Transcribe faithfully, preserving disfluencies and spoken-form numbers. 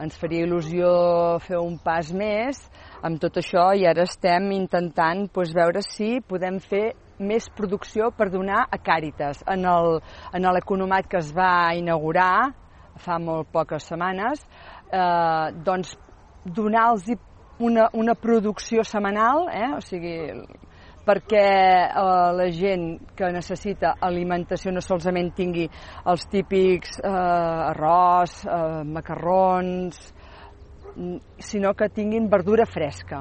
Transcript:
ens faria il·lusió fer un pas més amb tot això i ara estem intentant doncs, veure si podem fer més producció per donar a Càritas. En l'economat que es va inaugurar fa molt poques setmanes, eh, doncs donar-los una, una producció setmanal, eh, o sigui, perquè eh, la gent que necessita alimentació no solament tingui els típics eh, arròs, eh, macarrons, sinó que tinguin verdura fresca.